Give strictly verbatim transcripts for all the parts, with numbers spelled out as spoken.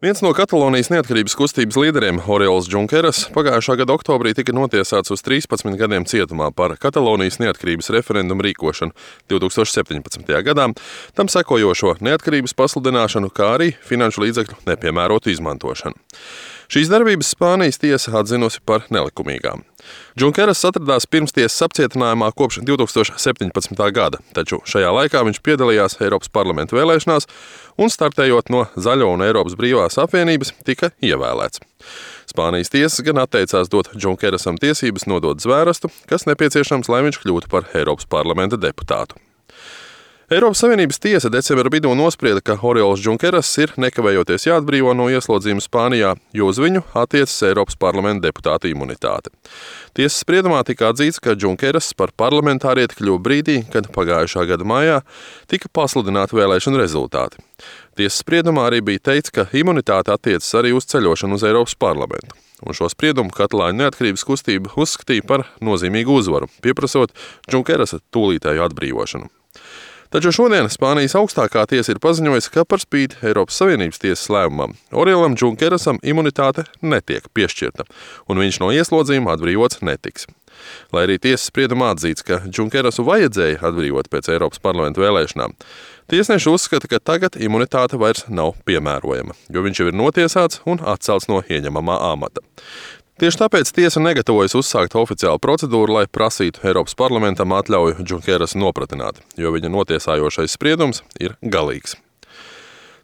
Viens no Katalonijas neatkarības kustības līderiem, Oriols Junqueras, pagājušā gada oktobrī tika notiesāts uz trīspadsmit gadiem cietumā par Katalonijas neatkarības referendumu rīkošanu divi tūkstoši septiņpadsmitajā gadā, tam sekojošo neatkarības pasludināšanu, kā arī finanšu līdzekļu nepiemērotu izmantošanu. Šīs darbības Spānijas tiesa atzinusi par nelikumīgām. Junqueras atradās pirmstiesas apcietinājumā kopš divi tūkstoši septiņpadsmitā gada, taču šajā laikā viņš piedalījās Eiropas parlamenta vēlēšanās un, startējot no Zaļo un Eiropas brīvās apvienības, tika ievēlēts. Spānijas tiesas gan atteicās dot Junquerasam tiesības nodot zvērestu, kas nepieciešams, lai viņš kļūtu par Eiropas parlamenta deputātu. Eiropas Savienības tiesa decembra vidū nosprieda, ka Oriols Junqueras ir nekavējoties jāatbrīvo no ieslodzījuma Spānijā, jo uz viņu attiecas Eiropas parlamenta deputāta imunitāte. Tiesas spriedumā tika atzīts, ka Junqueras par parlamentārieti kļuva brīdī, kad pagājušā gada maijā tika pasludināti vēlēšanu rezultāti. Tiesas spriedumā arī bija teikts, ka imunitāte attiecas arī uz ceļošanu uz Eiropas parlamentu. Un šo spriedumu katalāņu neatkarības kustība uzskatīja par nozīmīgu uzvaru, pieprasot Junquerasa tūlītēju atbrīvošanu. Taču šodien Spānijas augstākā tiesa ir paziņojusi, ka par spīti Eiropas Savienības tiesas lēmumam Oriolam Junquerasam imunitāte netiek piešķirta, un viņš no ieslodzījuma atbrīvots netiks. Lai arī tiesas spriedumā atzīts, ka Junquerasu vajadzēja atbrīvot pēc Eiropas parlamenta vēlēšanām, tiesneši uzskata, ka tagad imunitāte vairs nav piemērojama, jo viņš jau ir notiesāts un atcelts no ieņemamā amata. Tieši tāpēc tiesa negatavojas uzsākt oficiālu procedūru, lai prasītu Eiropas parlamentam atļauju Junquerasu nopratināt, jo viņa notiesājošais spriedums ir galīgs.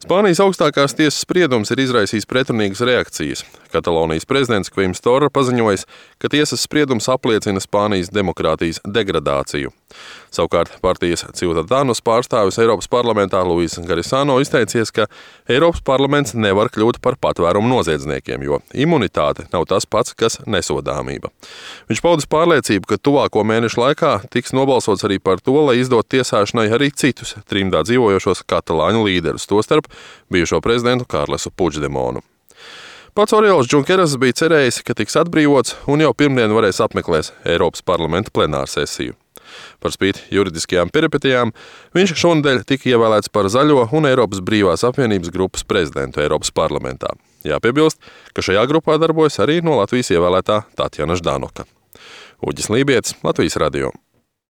Spānijas augstākās tiesas spriedums ir izraisījis pretrunīgas reakcijas. Katalonijas prezidents Kvims Torra paziņojis, ka tiesas spriedums apliecina Spānijas demokrātijas degradāciju. Savukārt partijas Ciudadanos pārstāvis Eiropas parlamentā Luis Garisano izteicies, ka Eiropas parlaments nevar kļūt par patvērumu noziedzniekiem, jo imunitāte nav tas pats, kas nesodāmība. Viņš paudis pārliecību, ka tuvāko mēnešu laikā tiks nobalsots arī par to, lai izdot tiesāšanai arī citus trimdā dzīvojošos katalāņu līderus, tostarp bijušo prezidentu Karlesu Puigdemonu. Pats Oriols Junqueras bija cerējis, ka tiks atbrīvots un jau pirmdien varēs apmeklēt Eiropas parlamenta plenārsesiju. Par spīti juridiskajām peripetijām viņš šonadēļ tika ievēlēts par Zaļo un Eiropas brīvās apvienības grupas prezidentu Eiropas parlamentā. Jāpiebilst, ka šajā grupā darbojas arī no Latvijas ievēlētā Tatjana Ždanoka. Uģis Lībietis, Latvijas radio.